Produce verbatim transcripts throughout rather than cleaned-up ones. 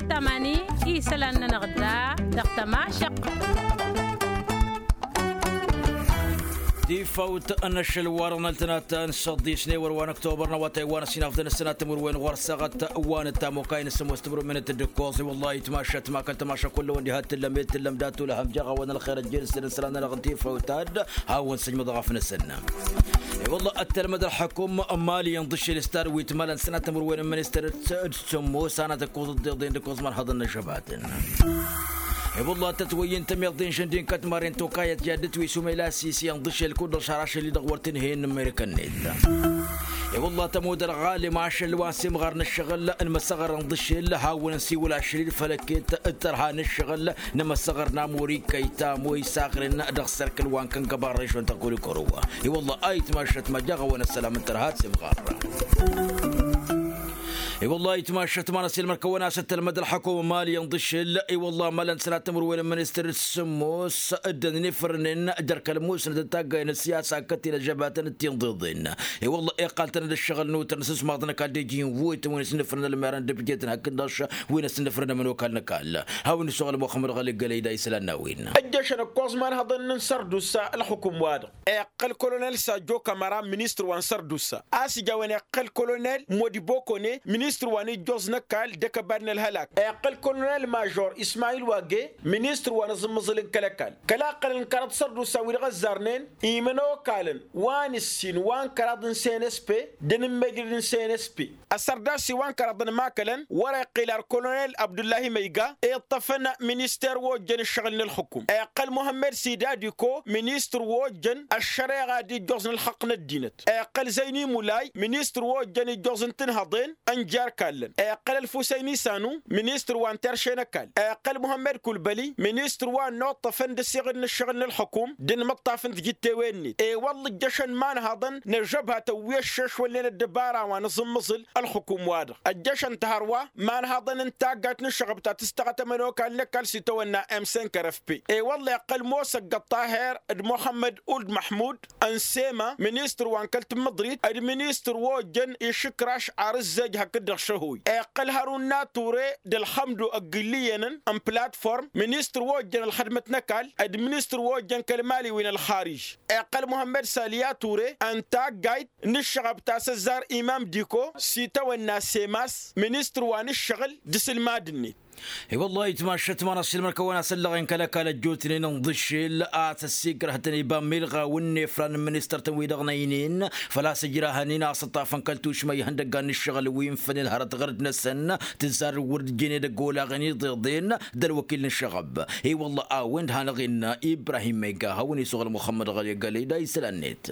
Tamani isălan-nănăɣ da dăɣ-tămašăɣt. Tifawt n-ašăl wa dăɣ-năltănat n-săḍisne wăr wa n-ăktobăr n-awătay wa n-ăsinafdăn ăsănat timǝrwen ɣur-săɣăt wa n-ăttamokay n-sămoos timǝrwen n-tǝddǝkkoẓ i-wăllah itmašăt ma kăl-tămašăk kull-wăn diha t-tǝllăm i-tǝllăm d-atulăhăm jaɣ-awăn ălxer ăjjel s-tădăsălan-nănăɣ n-tifawt ad-hawăn-săjmăḍ ɣăf-năsăn. I-wălla ăttălmăd ălxăkum n-mali inḍǝššel s-tad wi t-mălăn sănat timǝrwen n-ministăr d-sǝmmos anăt-ăkkoẓ dd-iḍen d-ăkkoẓ mărhăḍăn n-ažăbatăn. I-wălla tătwăyyǝn tămiḍen žăndin kătmaren tokayăt i-ad-dd-twisumăy la sisi inḍǝššel kud-dăɣ šarašăl-i-dăɣ wăr t-inhăyăn n-amerikăn-net. I-wălla tămud ălɣalem ašăl wa n-simɣar n-ǝššăɣǝl n-imăsăɣăr inḍǝššel hawăn-nsiwǝl ašăl-i-dd făll-ăkket d-tărha n-ǝššăɣǝl n-imăsăɣăr n-amuri kăyta moy saɣren dăɣ-sărkǝl wa n-kăngăba n-režon ta kolikoro. I-wălla a itmašăt ma jaɣ-awăn ăssălam n-tărha d-simɣar. I-wălla itmašăt ma n-ăsilmăr kăwăn-as ăttălmăd ălxăkum n-mali inḍǝššel i-wălla mălăn sănat timǝrwen n-ministăr s-sǝmmos dd-ănnifrǝnen jer-kăl-musnăt d-taggay n-ăssiyasa kăt-ila žăbatăn d-tinḍeḍen. I-wălla iqqal-tăn d-ǝššăɣǝl n-utăr n-asǝsmaḍ n-ăkall d-iji n-vuyt wi n-asǝnnǝfrǝn ălmerăn d-ǝbjet n-hakk-dăɣ wi n-asǝnnǝfrǝn ămănokal n-ăkall. Hawăn-isuɣǝl muxămmăd ɣăli gălăy d-a isălan n-a-wen. Ăjjăšăn ǝkkoẓ imanhăḍăn n-sărdusa ălxukum-wa-dăɣ. Iqqăl kolonel sajjo kămăra ministăr wa n-sărdusa a-s ija a-wen iqqăl kolonel modibokone ministăr wa n-ijjoẓ n-ăkall d-akăbad n-ălhălak. Iqqăl kolonel mažor ismayil wage ministăr wa n-aẓǝmmăẓǝl n-kăl-ăkall kăla qqălăn kăraḍ sărdusa wi-dăɣ ăzzarnen imănokalăn wa n-ǝssin wa n-kăraḍ n-senespe d-anǝmmejrăd n-senespe. Ăssărdas iwan kăraḍăn makălăn wăr-iqqil ar kolonel abdullahi măyga iṭṭăfăn minister wa ojjăn ǝššăɣǝl n-ălxukum iqqăl muhămmed sidadiko ministăr wa ojjăn ăššăreɣa d-ijjoẓ n-ălxăqq n-ăddinăt iqqăl zăyni mulay ministăr wa ojjăn ijjoẓ n-tinhăḍen. Ănjar kallăn iqqăl ălfusăyni sanu ministăr wa n-terše n-ăkall iqqăl muhămmed kulbăli ministăr wa n-oṭṭăfăn d-ăsiɣǝd n-ǝššăɣǝl n-ălxukum d-inmǝṭṭaf n-tijǝttewen-net i-wălla ǝjjăšăn imanhăḍăn n-ăžžăbhatăn wi ăššešwălnen ăddăbara wa n-aẓǝmmăẓǝl ălxukum-wa-dăɣ ăjjăšăn-t hărwa imanhăḍăn n-taggayt n-ǝššăɣăb ta tǝstăɣăt ămănokal n-ăkall s-itawănna m cinq r f p. I-wălla iqqăl mosăgg ăṭṭaher d-muxămmăd uld măḥmud n-sema ministăr wa n-kăl-tǝmmǝḍrit d-ministăr wa ojjăn išǝkraš ar ǝzzej hakd-dăɣ šăhuy iqqăl hărun n-ature d-ălxămdu ăgg-ǝlliyănăn n-platform ministăr wa ojjăn ălxădmăt n-ăkall d-ministăr wa ojjăn kăl-imaliwen ălxarij. Iqqăl muhămmăd sali ature n-taggayt n-ǝššăɣăb ta s-ăzzar imam diko s-itawănna semas ministăr wa n-ǝššăɣǝl d-asǝlmad-net. I-wăllah itmašăt ma n-ăṣṣilmăr kăwăn-asăllăɣen kăl-ăkall ăjjootnen ǝnḍǝššel a-s ăssiikrăh-tăn iba milɣaw n-inefran n-ministăr-tăn-wi-dăɣ n-ăynen făl-a-s ǝjrahăn-in a-s ǝṭṭafăn kăl-tušma ihăndăggan n-ǝššăɣǝl wi n-fănen hărăt ɣărăt-năsăn tǝzzar wăr-dd-jene dăgg-olaɣen iḍeḍen d-ălwăkil n-ǝššăɣăb. I-wăllah a-wen-dd hanăɣ-innă ibrahim măyga hawăn-isuɣǝl muxămmăd ɣăli ăgg-ălăy d-a isălan-net.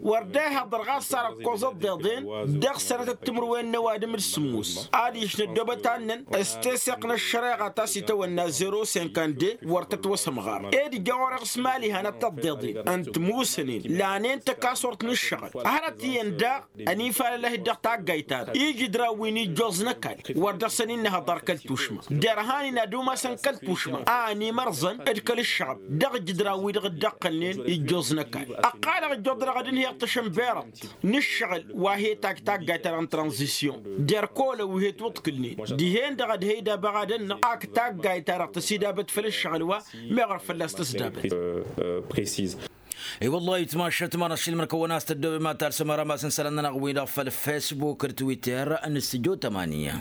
Wăr dd-ehăḍăr ɣas ar ăkkoẓ ăḍḍeḍen dăɣ-sănătăt timǝrwen n-ăwadǝm d-sǝmmos adiš n-ăddoobăt annăn s-teseɣt n-ăššăreɣa ta s-itawănna zero cinquante-deux wăr tătwăsămɣar. Ed ija orăɣ s-mali hanăt-tăḍḍeḍen n-timusnen lanen tăkasort n-ǝššăɣǝl hărăt iyyăn daɣ ănifalălăh-dd dăɣ-taggayt-ta-dăɣ ijǝdran wi n-ijjoẓ n-ăkall wăr dăɣ-săn innăhăḍăr kăl-tušma derhan-in ad-umasăn kăl-tušma a ănimărẓăn d-kăl-ǝššăɣăb dăɣ-ijǝdran-wi-dăɣ dd-ăqqălnen ijjoẓ n-ăkall. Ăqqalăɣ ijjoḍ-dăɣ ad-ǝnhǝyăɣ tašănberăḍt n-ǝššăɣǝl wa he-takk taggayt-ta-dăɣ n-tranzisyon d-erk olăn wi he-twǝḍkǝlnen dihen-dăɣ ad-he-idabăɣ ad-ănnăɣ ak taggayt-ta-dăɣ tăsidabăt făll-ǝššăɣǝl wa meɣ wăr fălla-s tăsdabăt. I-wăllah itmašăt ma n-ăššilmăr kăwăn-as tăddoobem ad-talsăm arămas n-isălan-nănăɣ-wi-dăɣ făll-fesbuk d-twitter n-studio tamania.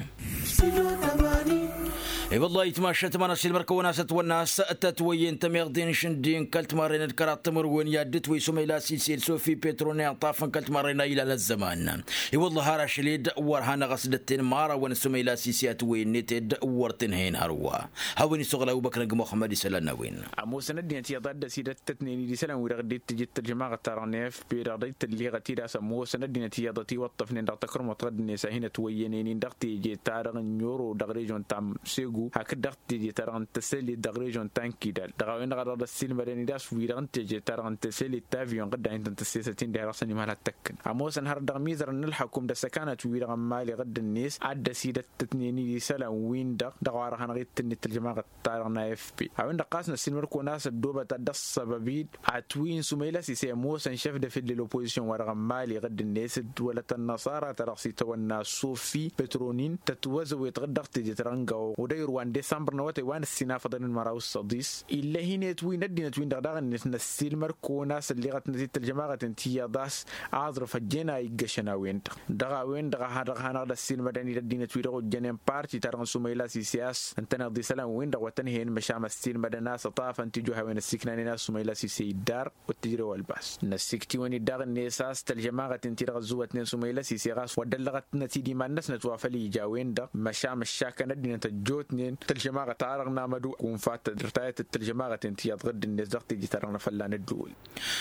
I-wăllah itmašăt ma n-ăššilmăr kăwăn-as ătwănna a-s tătwăyyen tămiḍen šǝndi n-kăl-timarren d-kăraḍ timǝrwen i-ad-dd-twăy s-umăyla s-ised sofi petro n-iṭṭaf n-kăl-timarren a ilal ăzzăman. I-wăllah har ašăl-dd wăr hanăɣ-ăsdătten imărawăn s-umăyla s-ise a tǝwwăyyen-net-dd wăr t-inhăyăn hărwa. Hawăn-isuɣǝl abubăkr n-muxămmăd isălan n-a-wen. Ămoosăn ăddinăt iyyăḍ a dd-ăsidăttătnen-dd isălan-wi-dăɣ dd-tǝjǝd tăljămaɣăt-ta-dăɣ n-f p dăɣ-dd-tǝlliɣăt-dd a-s ămoosăn ăddinăt iyyăḍ ătiwăṭṭăfnen dăɣ-takărmuḍt ɣǝddǝnet a hin-ătwăyyănen-in dăɣ-teje-ta-dăɣ n-oro dăɣ-režon ta n-segu. hakd-dăɣ teje-ta-dăɣ n-tăselit dăɣ-režion ta n-kidal dăɣ-a-wen-dăɣ a dăɣ-dd-ăssiilmădăn-dd a-s wi-dăɣ n-teje-ta-dăɣ n-tăselit ta avion ɣǝdda hin-tăn-tăssesăt-in diha dăɣ-săn imal ha t-tăkkăn ămoosăn hărăt dăɣ-imizărăn n-ǝlḥăkum d-ăssăkanăt-wi-dăɣ n-imali ɣǝdda-net ad-dd-ăsidăt-tătnen-dd isălan-win-dăɣ dăɣ-a-wa dăɣ-hanăɣ-itǝnnit tălžămaɣăt-ta-dăɣ n-a f p. A-wen-dăɣ ɣas năssiilmăd-kăwăn a-s ăddoobăt ad-dd-ăṣṣăbăb-dd atwǝy n-sumăyla s-isăy ămoosăn šef de fil de lopozisyon-wa-dăɣ n-imali ɣǝdda-net d-wălăt ănnăṣara-ta-dăɣ s-itawănna sofi petronin tătwăzăwet ɣǝd-dăɣ teje-ta-dăɣ n-gawăɣ udăyru wa n-desămbăr n-awătay wa n-ǝssin afăḍăn d-măraw s-săḍis. Ill'-e hin-etwǝy n-ăddinăt-win-dăɣ daɣ-net năssiilmăd-kăwăn a-s ălleɣăt-năt-dd tălžămaɣăt n-tiyyăḍ a-s aẓrǝf ăjjeen a iggăšăn a-wen-dăɣ dăɣ-a-wen-dăɣ a dăɣ-hanăɣ-dd-ăssiilmădăn-dd ăddinăt-wi-dăɣ ojjănen parti-ta-dăɣ n-sumăyla s-ise a-s ǝntăneḍ isălan-win-dăɣ wa tăn-hen măšan ăssiilmădăn a-s ăṭṭafăn tijǝwhawen ăssiiknanen a-s sumăyla s-ise iddar. Wăr tǝjrew ălbas năssiiktiwăn-dd daɣ-net a-s tălžămaɣăt-in-ti-dăɣ ăzzuwătnen sumăyla s-ise ɣas wăr dd-ăllăɣăt-năt-dd iman-năsnăt wa făl ija a-wen-dăɣ măšan ăššakăn ăddinăt ăjjootnen tălžămaɣăt-ta-dăɣ n-amădu kunfa tădrătayăt d-tălžămaɣăt-in-ti iyyăḍ ɣǝdd-net dăɣ-teje-ta-dăɣ n-afălla n-ădduul.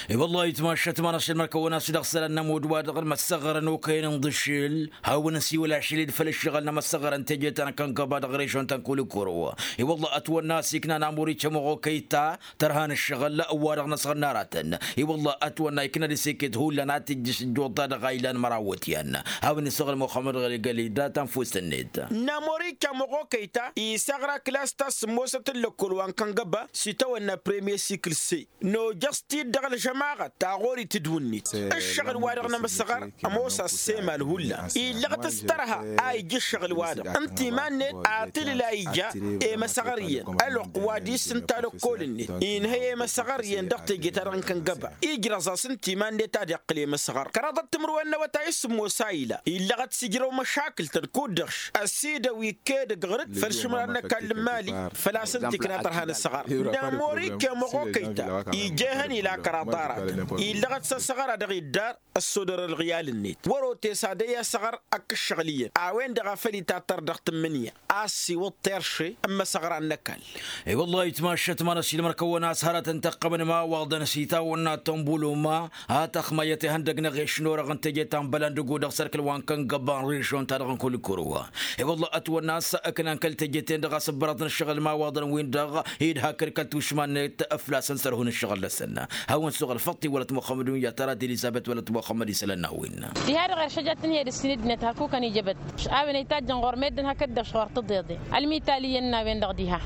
I-wăllah itmašat ma n-ašăl mărkăwăn a-s dăɣ-isălan n-ămudd wa dăɣ-măssăɣărăn okăyăn n-iḍǝššel hawăn-ăsiwăl ašăl-dd făll-ǝššăɣǝl n-amăssăɣărăn teje ta n-kăngăba dăɣ-režion ta n-kulikuro. I-wăllah ătwănna a-s iknan amur-i cămăɣ okăy ta tărha n-ǝššăɣǝl wa-dăɣ n-asăɣ n-aratăn. I-wăllah ătwănna ikna d-iseked hullan ad-t-ijjǝš ǝjjuḍ-ta-dăɣ a ilan măraw iwǝtyan. Hawăn-isăɣǝl muxămmăd ɣăli gălida ta n-fuss-net. N-amur-i cămăɣ okăy ta isăɣra klas ta s-sǝmmosăt n-lăkkol wa n-kăngăba s-itawănna premier sikǝl se. Nojăs-t-dd dăɣ-ălžămaɣăt ta ɣur-i tǝdwǝnnit ǝššăɣǝl-wa-dăɣ n-amăsăɣăr. Ămoos a-s emal hullan illăɣăt s-tărha a ija ǝššăɣǝl-wa-dăɣ ǝnta iman-net atǝlǝl a ija i-măsăɣăr iyyăn ălwăqq wa dăɣ-isǝnta lăkkol-net inhăy i-măsăɣăr iyyăn dăɣ-teje-ta-dăɣ n-kăngăba ijrăẓ-as ǝnta iman-net ad-iqqǝl i-măsăɣăr kăraḍăt timǝrwen n-awătay s-sǝmmos a ila illăɣăt s-ijrăw măšakǝl-tăn kud-dăɣ-š ăsidăw iked ǝgɣǝr-dd făll-išmăra n-ăkall n-imali. Făl-a-s ǝnta ikna tărha n-asăɣăr n-amori kămoɣ okăy-ta ija ehăn ila kăraḍ aratăn illăɣăt s-asăɣăr a dăɣ-iddar ăssodăr ălɣiyal-net wăr otes ad-ăy asăɣăr ăkk ǝššăɣǝl iyyăn a-wen-dăɣ a făl itattăr dăɣ-tǝmmǝnǝya a ăssiwǝḍ terše n-imăsăɣra n-ăkall. I-wăllah itmašat ma n-ašilmăr kăwăn-as hărătăn tăqqămăn imawaḍăn s-itawănna tombuluma a tăxmăyyăt ihăndăg n-eɣeš n-orăɣ n-teje ta n-bălăndǝgu dăɣ-sărkǝl wa n-kăngăba n-režion-ta-dăɣ n-kulikuru. I-wăllah ătwănna a-s ǝknan kăl-teje-ten-dăɣ a-s ǝbbărăḍăn ǝššăɣǝl imawaḍăn-win-dăɣ i-dd-hakd kăl-tušma-net ăflasăn sărhun ǝššăɣǝl-năsăn. Hawăn-suɣǝl făṭṭ iwălăt muxămmăd-un i-ad-tărat elizăbet wălăt muxămmăd isălan n-a-wen. Diha-dăɣ eršăjat tǝnhǝyăd ǝssin ăddinăt hakukăn ijăbăt a-wen ăytajjăn ɣur-meddǝn hakd-dăɣ šɣur tǝḍeḍe ălmitali iyyăn n-a-wen-dăɣ diha.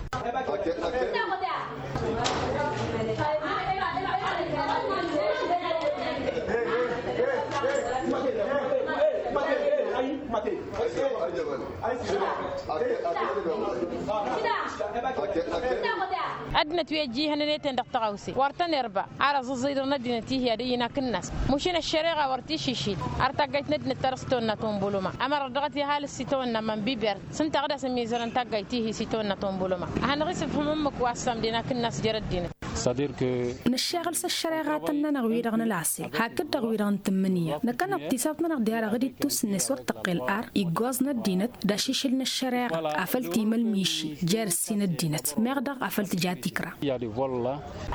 Ăddinăt wi ăjjǝy ihănăn i-ten dăɣ-tăɣawse wăr tăn-irba. Ar ăẓẓăẓẓăy dăɣ-năddinăt ihi ad-ăyy n-akǝnnas. Măšin ăššăreɣa wăr t-iššǝšil ar taggayt n-ăddinăt ta dăɣ-s tăwănna tombuluma ămăra dăɣ-t iha alǝs s-itawănna mănbiber s-ǝnta a ɣǝd-asăn mizărăn taggayt ihi s-itawănna tombuluma. Ad-hanăɣ-isǝfhǝm ǝmmǝk wa ăssam d-e-n akǝnnas jer-ăddinăt. Năššeɣăl s-ăššăreɣa a tăn-nănăɣ wi-dăɣ nǝlasel hakd-dăɣ wi-dăɣ n-tǝmmǝnǝya. Năkkăneḍ tisawt-nănăɣ diha-dăɣ d-ittus-net wăr tăqqel ar iggoẓ n-ăddinăt d-ašǝšǝl n-ăššăreɣa afăl timălmiši jer-ǝssin ăddinăt meɣ daɣ afăl tǝja tikra.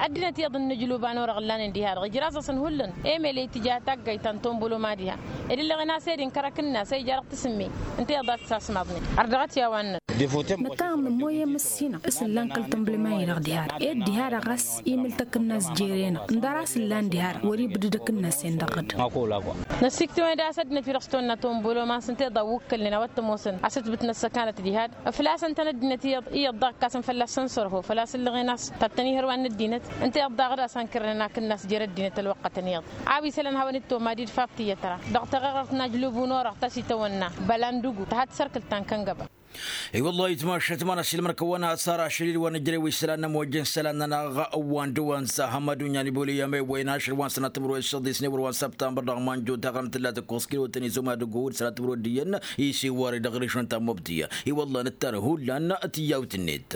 Ăddinăt iyyăḍ n-inǝjlub a n-orăɣ ǝllanen diha-dăɣ ijraẓ-asăn hullan emel i-tǝja taggayt ta n-tombuloma diha. Ed-ǝllăɣen a-s ed-inkăr akǝnnas a ija dăɣ-tǝsǝmme ǝnta iyyăḍ a tǝsasmaḍnen. Ărdăɣăt i-a-wa ǝnnăn. Năkk a nǝmmoyăm ǝssinăɣ s-ǝllan kăl-tǝnblǝma-i-dăɣ diha-dăɣ ed diha-dăɣ a-s imǝl takǝnnas jere-năɣ ǝndăr a-s ǝllan diha-dăɣ wăr-ibdǝd akǝnnas-en dăɣ-ɣǝd. Năsiktǝwăn-dd a-s ăddinăt wi-dăɣ s-tăwănna tomboloman s-ǝnta iḍa ǝwwǝkkălnen a-wa t-ămoosăn a-s ǝtbǝtnăt s-ăkanăt diha-dăɣ ǝflasăn-tăn ăddinăt iyyăḍ iyyăḍ daɣ ǝkkasăn fălla-săn sărho făl-a-s ǝllăɣen a-s tattăn-ihărwan n-ăddinăt. Ǝnta iyyăḍ daɣ ad-asăn kărnen akǝnnas jer-ăddinăt ălwăqqătăn iyyăḍ a-wa isălan hawăn-dd-tomad-dd fab tiyyăt ra dăɣ-taɣăɣărt n-ajlub n-orăɣ ta s-itawănna bălandǝgu tăha d-tisărkǝlt ta n-kăngăba. I-wăllah itmašat ma n-ašilmăr kăwăn-asar ašăl-i d-wa nǝjrew isălan n-ămojjăn isălan-nănăɣ wa n-dăwăn s-ahămad unyan iboliya mewăyăn ašăl wa n-sănatămăr wa išăḍisne wăr wa n-săbtambăr dăɣ-manjo taɣrăm tǝlla tăkkoẓ kilo tăn-izuma d-ăggood sănatămăr wa d-iyyăn. Isiwar-i dăɣ-rǝšun ta n-mobdiya i-wăllah nǝttan hullan tiyyawt-net.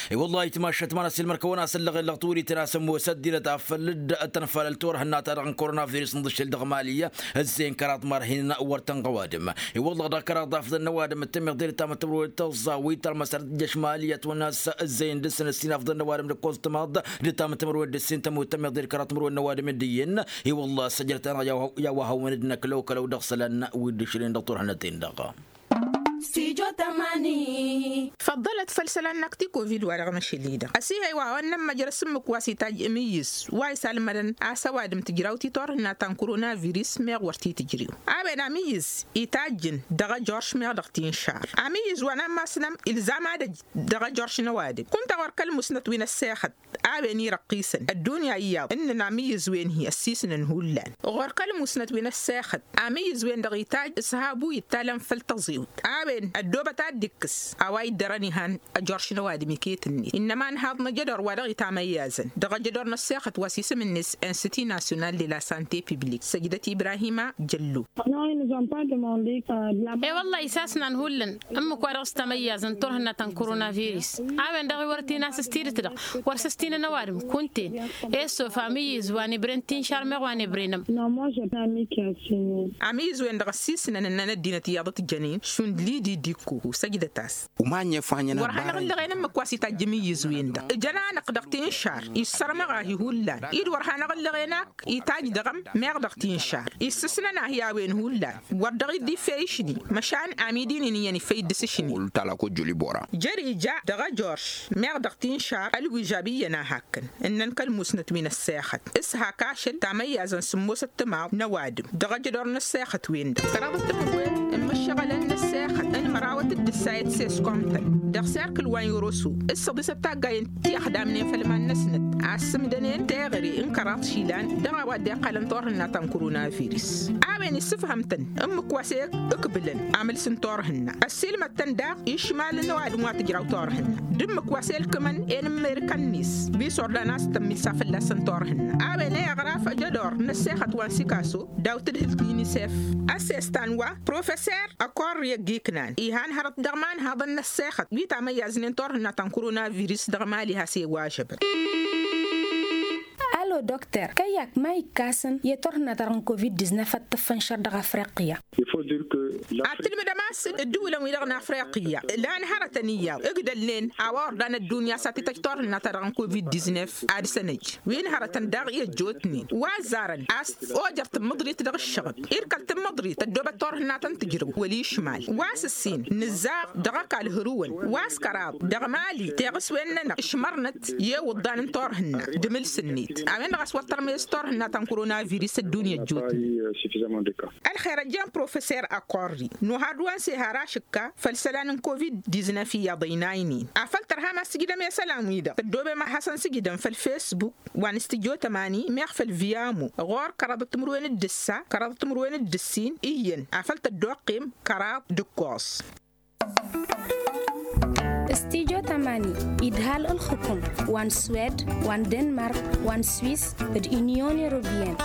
I-wăllah itmašat ma n-ašilmăr kăwăn-asăllăɣen lăɣ tiwǝlităn a-s ămoos ăddinăt afăl dd-tănfalăl turhǝnna-ta-dăɣ n-korona virus n-iḍǝššel dăɣ-mali. Ǝzzeyăn kăraḍ mărhin wăr tăn-ɣ ăwadǝm. I-wăllah dăɣ-kăraḍ afḍăn n-ăwadǝm d-tămiḍe d-tamătămrăwăd tăẓẓawit talmăsar tǝjjăš mali ătwănna a-s ǝzzeyăn dăr-săn ǝssin afḍăn n-ăwadǝm d-ǝkkoẓ tǝmaḍ d-tamătămrăwăd d-ǝssin tămut tămiḍe d-kăraḍ timǝrwen n-ăwadǝm d-iyyăn. I-wăllah săjrăt-anăɣ i-a-wa hawăn-dd-năklow kălăw dăɣ-isălan wi dd-ǝšrǝyăn dăɣ-turhǝnăt-en-dăɣ. Stujo tămani. Făḍḍălăt făll-isălan n-akti kovid wa dăɣ-măšăl-i-dăɣ ăsihăy wa wa n-nămmăjrăs ǝmmǝk wa s-itajj imǝyyǝz wa isallămădăn a-s ăwadǝm tǝjraw ti turhǝnna ta n-korona virus meɣ wăr t-tǝjrew. A-wen amǝyyǝz itajjǝn dăɣ-ejorš meɣ dăɣ-tinšar amǝyyǝz wa n-ammasnăm ilzam ad-ăj dăɣ-ejorš n-ăwadǝm kunta ɣur-kăl-musnăt wi n-ăssexăt a-wen irăqqisăn ăddunya iyyăḍ ǝnnăn amǝyyǝz-wen-hi ăssisnăn hullan. Ɣur-kăl-musnăt wi n-ăssexăt amǝyyǝz-wen-dăɣ itajj s-habu ittalăn făll-tăẓiwt a-wen ăddoobăt ad-dd-ikkǝs a-wa iddărăn ihan ăjorš n-ăwadǝm iket-net innăma ănhaḍ n-ajădor wa dăɣ-itamăyyazăn dăɣ-ajădor n-ăssexăt wa s-isǝm-net insiti nasyonal de la sante piblik săjdăt ibrahima jăllo. E-wălla-hi s-asnan hullan ǝmmǝk wa dăɣ-s tamăyyazăn turhǝnna ta n-koronavirus a-wen-dăɣ iwărăt inas s-tidǝt-dăɣ wăr s-ăstinăn ăwadǝm kunta-en. E-s of amǝyyǝz wa n-ebre n-tinšar meɣ wa n-ebre n-ămm. Amǝyyǝz-wen-dăɣ ăssisnăn ǝnnăn ăddinăt iyyăḍ t-jănen šund lidi dikko săjdăt-as. Wăr hanăɣ-ǝllăɣen ǝmmǝk wa s-itajj imǝyyǝz-wen-dăɣ ǝjăn-anăɣ dăɣ-tinšar issărmăɣ-ahi hullan-i d-wăr hanăɣ-ǝllăɣen ak itajj dăɣ-ămm meɣ dăɣ-tinšar issǝsnăn ahi a-wen hullan wăr dăɣ-dd-iffey išni măšan amidin-in iyyăn iffăy dd-s išni. Jăr ija dăɣ-ejorš meɣ dăɣ-tinšar ălwižab iyyăn a hakkăn ǝnnăn kăl-musnăt wi n-ăssexăt s-hak ašăl tamăyyazăn sǝmmosăt timaḍ n-ăwadǝm dăɣ-ajădor n-ăssexăt-wen-dăɣ kăraḍăt timǝrwen n-imǝššăɣălăn n-ăssexăt n-mărawăt d-ǝssa i-ăssesku amtăn dăɣ-serkǝl wa n-iroso s-săḍisăt taggay n-tixdamnen făll-iman-năsnăt a ăssǝmdănen teɣăre n-kăraḍ išilan dăɣ-a-wa dd-iqqalăn turhǝnna ta n-koronavirus. A-wen issǝfhăm-tăn ǝmmǝk wa s-e-ǝkbǝlăn amǝls n-turhǝnna ăssiilmăd-tăn daɣ išmal n-ăwadǝm wa tǝjraw turhǝnna d-ǝmmǝk wa s-elkǝmăn enǝmmerǝkăn-net wi s-ordan a-s tămmilsa fălla-săn turhǝnna. A-wen i-aɣraf ajădor n-ăssexăt wa n-sikaso daw-tǝdhǝlt n-inisef ăssestan wa professer ăkorri ăgg-iknan ihan hărăt dăɣ-imanhaḍăn n-ăssexăt wi tamăyyaznen turhǝnna ta n-koronavirus dăɣ-mali has-e-iwažăbăn. Alo dokter kăyy-ak ma ikkasăn i-turhǝnna-ta-dăɣ n-covid-diznef ad-tǝffăn šăr dăɣ-afriqya? Ad-tǝlmǝdăm a-s ǝddǝwǝlăn-wi-dăɣ n-afriqya lan hărătăn iyyăḍ ǝgdălnen a-wa ordan ăddunya s-ad-t-tăj turhǝnna-ta-dăɣ n-covid-diznef ad-săn-ăj wi n-hărătăn daɣ i-ăjjootnen wa ăzzarăn a-s ojăr tǝmmǝḍrit dăɣ-ǝššăɣǝb irkăl tǝmmǝḍrit tăddoobăt turhǝnna-tăn tǝjrǝw wăl-išmal wa s-ǝssin nǝzzaɣ dăɣ-ăkall hărǝwăn wa s-kăraḍ dăɣ-mali teɣăswen-nănăɣ ǝšmărnăt i-iwǝḍḍan n-turhǝnna d-amǝls-net a-wen-dăɣ a-s wăr tărmez turhǝnna ta n-koronavirus ăddunya ăjjootnen. Ălxer ăjjeen professer ăkorri noha d-wa n-seha ar ašǝkka făll-isălan n-covid-diznef iyyăḍ ăynaynen afăl tărham ad-sǝjdăm i-isălan-wi-dăɣ tăddoobem ad-hasăn-sǝjdăm făll-facebook wa n-studyo tămani meɣ făll-viyamo ɣur-kăraḍăt timǝrwen d-ǝssa kăraḍăt timǝrwen d-ǝssin iyyăn afăl tăddoqqem kăraḍ d-ǝkkoẓ. Studyo tămani idhal ǝlxǝkum wa n-swed wa n-denmark wa n-swiss d-inyon europeyăn.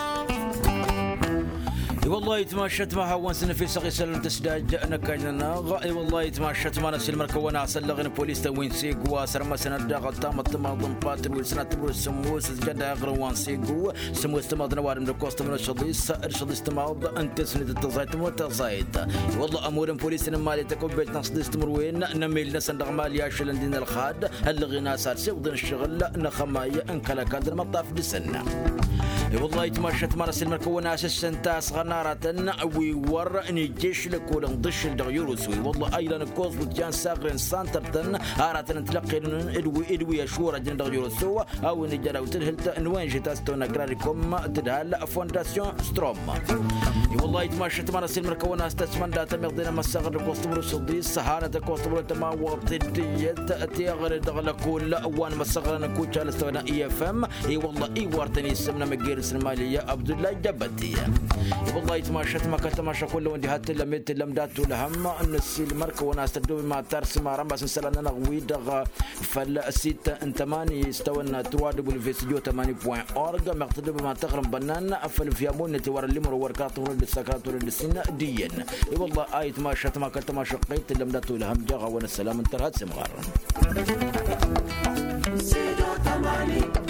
I-wăllah itmašat ma hawăn-săn efesăɣ isălan tǝsdaj n-ăkall-nănăɣ. I-wăllah itmašat ma n-ăsilmăr kăwăn-asăllăɣ n-polis tăwin seg wa sărmăsăn ăddaɣăt tamăḍt timaḍ n-patr wi s-năt tǝbrǝs sămmos s-jădaɣ răwan seg wa sămmos timaḍ n-ăwadǝm d-ăkkoẓ tămănăt šăḍis d-šăḍis timaḍ n-tesnet d-tăẓayt tămănăt tăẓayt. I-wăllah ămur n-polis n-mali tăkăwbet n-aṣḍis timǝrwen n-emellăsăn dăɣ-mali ašălăn din ălxad ăllăɣen a-s ad-sewḍen ǝššăɣǝl n-axămay n-kăl-ăkall d-ălmăṭṭaf dăɣ-săn. I-wăllah itmašat ma n-ăsilmăr kăwăn-asǝssăn tasɣănarătăn wi wăr n-ijješ lăkol n-ḍǝššǝl dăɣ-yărusu i-wăllah a ilan ǝkkoẓ wǝtjan saɣren santăr-tăn aratăn n-tilăqqelăn d-wi d-wi ăšwărăjăn dăɣ-yărusu a-wen ija daw tǝdhǝlt n-wen žeta s-tăwăn agrarikom tǝdhal fondasyon strom. I-wăllah itmašat ma n-ăsilmăr kăwăn-as tăsmănda tămiḍen amăssaɣăr d-ăkkoẓ tǝmrǝs ăḍis hanăt ăkkoẓ tǝmrǝs tămawăḍt d-iyyăt teɣăre dăɣ-lăkol wa n-măssaɣăr n-kucal s-tăwăn ifm. I-wăllah iwar-tăn isǝm n-amǝgger-s n-mali abdullah jabăti. I-wăllah itmašat ma kăl-tămaša kull-wăn diha t-tǝllăm i-tǝllăm dat-tulhăm n-ăsilmăr kăwăn-as tăddobem ad-tarsǝm arămas n-isălan-nănăɣ-wi-dăɣ făll-sit n-tămani s-tăwănna trois w s j tămani point org meɣ tăddobem ad-tăɣrǝm bănnan făll-vyamun n-etiwar ăllimăro wăr kăraḍ tămrăd d-sakrat wăr d-ǝssin d-iyyăn. I-wăllah a itmašat ma kăl-tămaša ɣăyy tǝllăm dat-tulhăm jaɣ-awăn ăssălam n-tărha d-semɣar. Sido tamani.